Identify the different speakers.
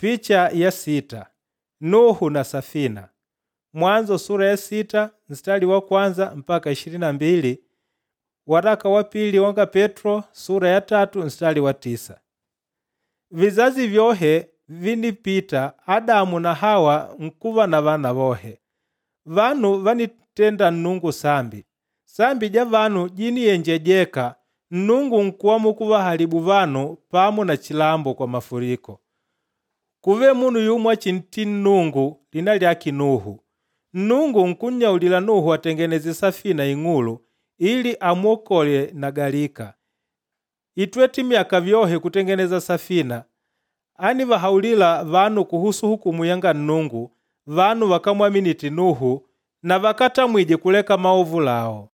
Speaker 1: Picha ya 6: Nuhu na safina. Mwanzo sura ya 6 mstari wa kwanza mpaka 22. Waraka wa pili wanga Petro sura ya 3 mstari wa 9. Vizazi vyohe vinipita Adamu na Hawa nkuva na vana vohe. Vanu vanitenda Nnungu sambi. Sambi ja vanu jiniyenjejeka Nnungu nkuamua kuvahalibu vanu pamo na chilambo kwa mafuriko. Kuve munu yumo achintii Nnungu lina lyake Nuhu. Nnungu nkunnyaulila Nuhu atengeneze safina ing'ulu ili amwokole na galika. Itwete myaka vyohe kutengeneza safina. Anivahaulila vanu kuhusu hukumu yanga Nnungu, vanu vakamwaminite Nuhu na vakatamwije kuleka maovu lao.